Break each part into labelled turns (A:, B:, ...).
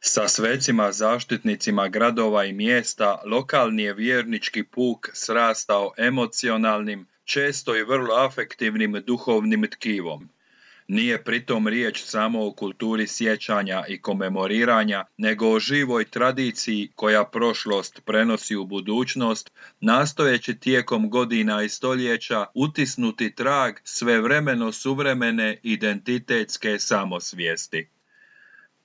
A: Sa svecima zaštitnicima gradova i mjesta lokalni je vjernički puk srastao emocionalnim, često i vrlo afektivnim duhovnim tkivom. Nije pritom riječ samo o kulturi sjećanja i komemoriranja, nego o živoj tradiciji koja prošlost prenosi u budućnost, nastojeći tijekom godina i stoljeća utisnuti trag svevremeno suvremene identitetske samosvijesti.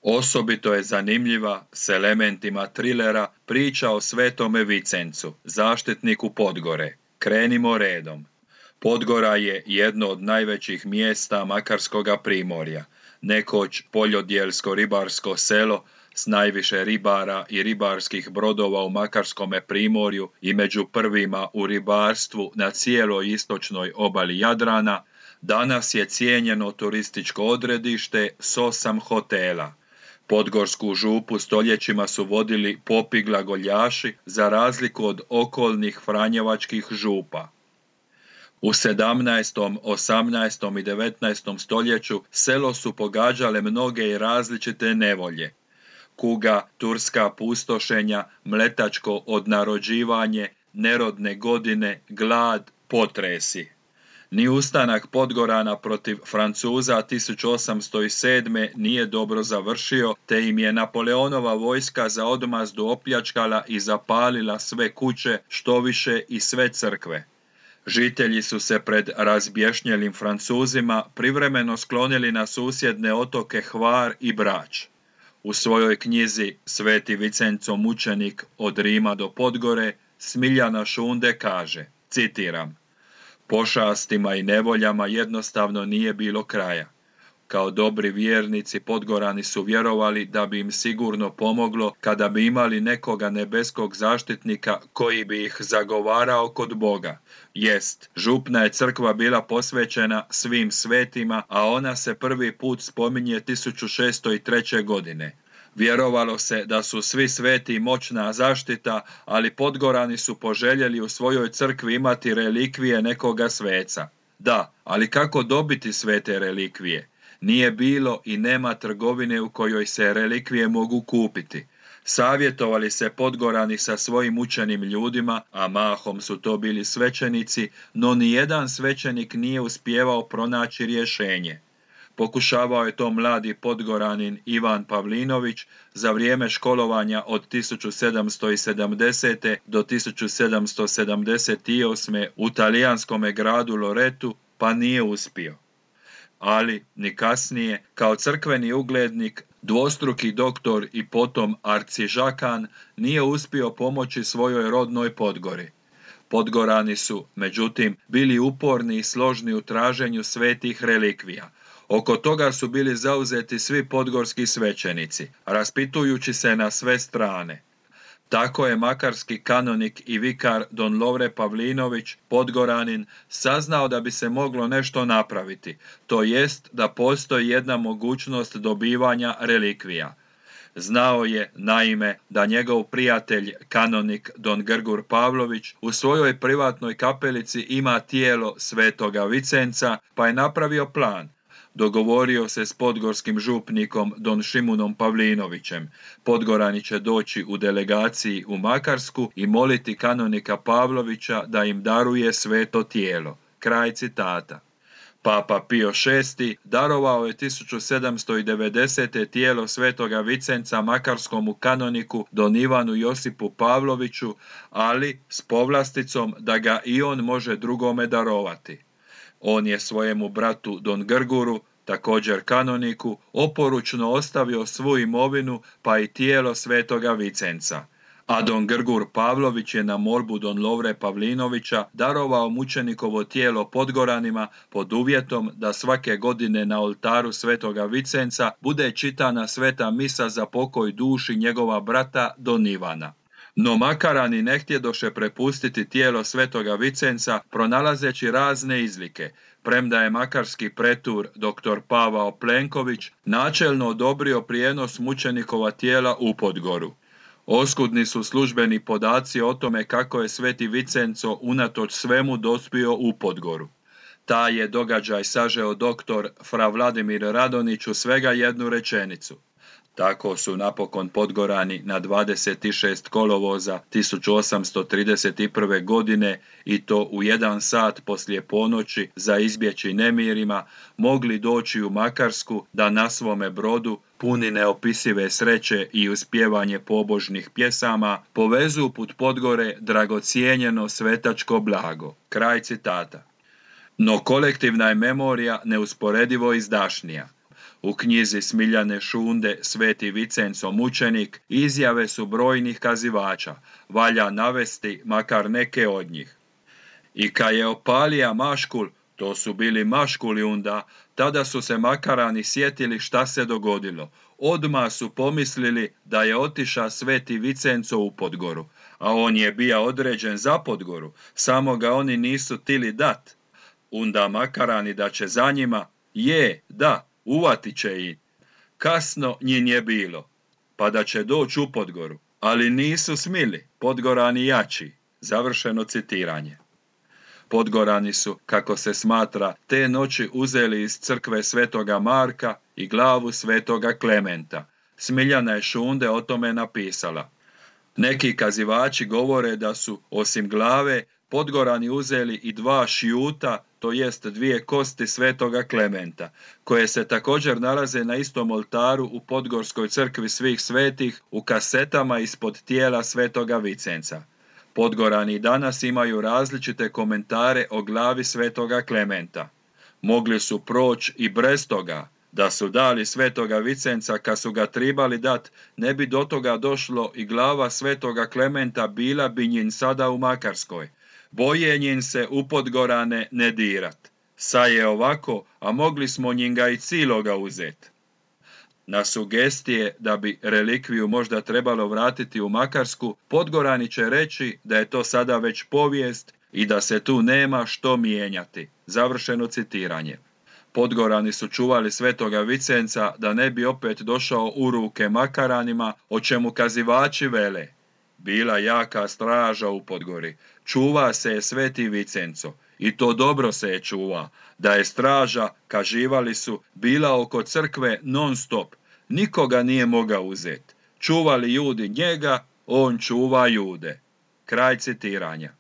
A: Osobito je zanimljiva, s elementima trilera, priča o Svetome Vicencu, zaštitniku Podgore. Krenimo redom. Podgora je jedno od najvećih mjesta Makarskoga primorja, nekoć poljodjelsko-ribarsko selo s najviše ribara i ribarskih brodova u Makarskome primorju i među prvima u ribarstvu na cijeloj istočnoj obali Jadrana, danas je cijenjeno turističko odredište s 8 hotela. Podgorsku župu stoljećima su vodili popi glagoljaši za razliku od okolnih franjevačkih župa. U 17., 18. i 19. stoljeću selo su pogađale mnoge i različite nevolje. Kuga, turska pustošenja, mletačko odnarođivanje, nerodne godine, glad, potresi. Ni ustanak Podgorana protiv Francuza 1807. nije dobro završio, te im je Napoleonova vojska za odmazdu opljačkala i zapalila sve kuće, štoviše i sve crkve. Žitelji su se pred razbješnjelim Francuzima privremeno sklonili na susjedne otoke Hvar i Brač. U svojoj knjizi Sveti Vicenco mučenik od Rima do Podgore Smiljana Šunde kaže, citiram: pošastima i nevoljama jednostavno nije bilo kraja. Kao dobri vjernici Podgorani su vjerovali da bi im sigurno pomoglo kada bi imali nekoga nebeskog zaštitnika koji bi ih zagovarao kod Boga. Jest, župna je crkva bila posvećena svim svetima, a ona se prvi put spominje 1603. godine. Vjerovalo se da su svi sveti moćna zaštita, ali Podgorani su poželjeli u svojoj crkvi imati relikvije nekoga sveca. Da, ali kako dobiti svete relikvije? Nije bilo i nema trgovine u kojoj se relikvije mogu kupiti. Savjetovali se Podgorani sa svojim učenim ljudima, a mahom su to bili svećenici, no nijedan svećenik nije uspijevao pronaći rješenje. Pokušavao je to mladi Podgoranin Ivan Pavlinović za vrijeme školovanja od 1770. do 1778. u talijanskome gradu Loretu, pa nije uspio. Ali, ni kasnije, kao crkveni uglednik, dvostruki doktor i potom arcižakan, nije uspio pomoći svojoj rodnoj Podgori. Podgorani su, međutim, bili uporni i složni u traženju svetih relikvija. Oko toga su bili zauzeti svi podgorski svećenici, raspitujući se na sve strane. Tako je makarski kanonik i vikar don Lovre Pavlinović, Podgoranin, saznao da bi se moglo nešto napraviti, to jest da postoji jedna mogućnost dobivanja relikvija. Znao je, naime, da njegov prijatelj, kanonik don Grgur Pavlović, u svojoj privatnoj kapelici ima tijelo Svetoga Vicenca, pa je napravio plan. Dogovorio se s podgorskim župnikom don Šimunom Pavlinovićem. Podgorani će doći u delegaciji u Makarsku i moliti kanonika Pavlovića da im daruje sveto tijelo. Kraj citata. Papa Pio VI darovao je 1790. tijelo Svetoga Vicenca makarskomu kanoniku don Ivanu Josipu Pavloviću, ali s povlasticom da ga i on može drugome darovati. On je svojemu bratu don Grguru, također kanoniku, oporučno ostavio svu imovinu pa i tijelo Svetoga Vicenca. A don Grgur Pavlović je na molbu don Lovre Pavlinovića darovao mučenikovo tijelo Podgoranima pod uvjetom da svake godine na oltaru Svetoga Vicenca bude čitana sveta misa za pokoj duši njegova brata don Ivana. No Makarani ne htjedoše prepustiti tijelo Svetoga Vicenca, pronalazeći razne izlike, premda je makarski pretur dr. Pavao Plenković načelno odobrio prijenos mučenikova tijela u Podgoru. Oskudni su službeni podaci o tome kako je Sveti Vicenco unatoč svemu dospio u Podgoru. Taj je događaj sažeo dr. fra Vladimir Radonić u svega jednu rečenicu. Tako su napokon Podgorani na 26 kolovoza 1831. godine i to u 1 sat poslije ponoći za izbjeći nemirima mogli doći u Makarsku da na svome brodu, puni neopisive sreće i uspjevanje pobožnih pjesama, povezu put Podgore dragocijenjeno svetačko blago. Kraj citata. No kolektivna je memorija neusporedivo izdašnija. U knjizi Smiljane Šunde Sveti Vicenco mučenik izjave su brojnih kazivača, valja navesti makar neke od njih. I kad je opalija maškul, to su bili maškuli onda, tada su se Makarani sjetili šta se dogodilo. Odmah su pomislili da je otiša Sveti Vicenco u Podgoru, a on je bija određen za Podgoru, samo ga oni nisu tili dat. Onda Makarani da će za njima, da, uvatit će ih. Kasno njin je bilo, pa da će doći u Podgoru, ali nisu smili, Podgorani jači. Završeno citiranje. Podgorani su, kako se smatra, te noći uzeli iz crkve Svetoga Marka i glavu Svetoga Klementa. Smiljana je Šunde o tome napisala. Neki kazivači govore da su, osim glave, Podgorani uzeli i 2 šjuta, to jest 2 kosti Svetoga Klementa, koje se također nalaze na istom oltaru u Podgorskoj crkvi svih svetih u kasetama ispod tijela Svetoga Vicenca. Podgorani danas imaju različite komentare o glavi Svetoga Klementa. Mogli su proći i bez toga. Da su dali Svetoga Vicenca kad su ga tribali dat, ne bi do toga došlo i glava Svetoga Klementa bila bi njin sada u Makarskoj. Boje njin se u Podgorane ne dirat. Sa je ovako, a mogli smo njinga i ciloga uzet. Na sugestije da bi relikviju možda trebalo vratiti u Makarsku, Podgorani će reći da je to sada već povijest i da se tu nema što mijenjati. Završeno citiranje. Podgorani su čuvali Svetoga Vicenca da ne bi opet došao u ruke Makaranima, o čemu kazivači vele. Bila jaka straža u Podgori, čuva se je Sveti Vicenco i to dobro se je čuva, da je straža, kaživali su, bila oko crkve non stop, nikoga nije mogao uzeti. Čuvali ljudi njega, on čuva jude. Kraj citiranja.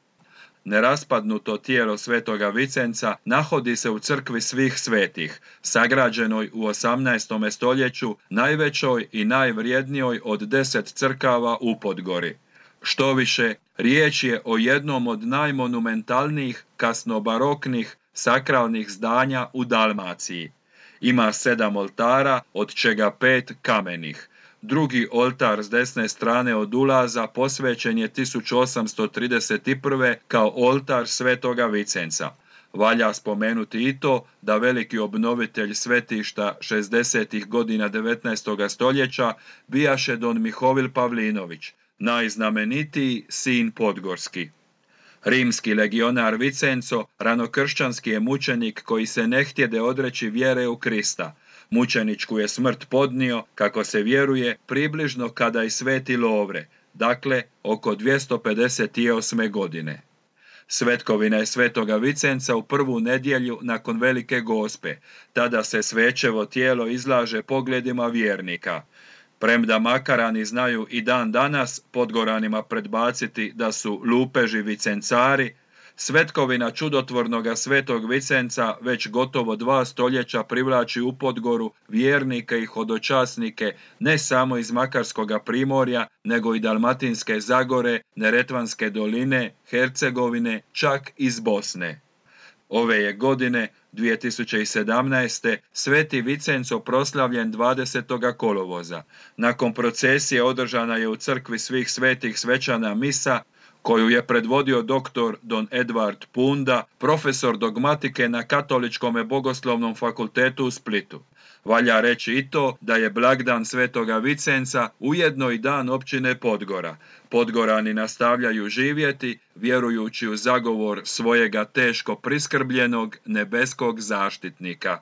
A: Neraspadnuto tijelo Svetoga Vicenca nahodi se u crkvi svih svetih, sagrađenoj u 18. stoljeću, najvećoj i najvrijednijoj od 10 crkava u Podgori. Štoviše, riječ je o jednom od najmonumentalnijih kasnobaroknih sakralnih zdanja u Dalmaciji. Ima 7 oltara, od čega 5 kamenih. Drugi oltar s desne strane od ulaza posvećen je 1831. kao oltar Svetoga Vicenca. Valja spomenuti i to da veliki obnovitelj svetišta 60. godina 19. stoljeća bijaše don Mihovil Pavlinović, najznamenitiji sin podgorski. Rimski legionar Vicenco ranokršćanski je mučenik koji se ne htjede odreći vjere u Krista. Mučeničku je smrt podnio, kako se vjeruje, približno kada i sveti Lovre, dakle oko 258. godine. Svetkovina je Svetoga Vicenca u prvu nedjelju nakon Velike Gospe, tada se svećevo tijelo izlaže pogledima vjernika. Premda Makarani znaju i dan danas Podgoranima predbaciti da su lupeži vicencari, svetkovina čudotvornoga Svetog Vicenca već gotovo 2 stoljeća privlači u Podgoru vjernike i hodočasnike ne samo iz Makarskoga primorja, nego i Dalmatinske Zagore, Neretvanske doline, Hercegovine, čak iz Bosne. Ove je godine, 2017. Sveti Vicenco proslavljen 20. kolovoza. Nakon procesije održana je u crkvi svih svetih svečana misa, koju je predvodio doktor don Edvard Punda, profesor dogmatike na Katoličkom bogoslovnom fakultetu u Splitu. Valja reći i to da je blagdan Svetoga Vicenca ujedno i dan općine Podgora. Podgorani nastavljaju živjeti, vjerujući u zagovor svojega teško priskrbljenog nebeskog zaštitnika.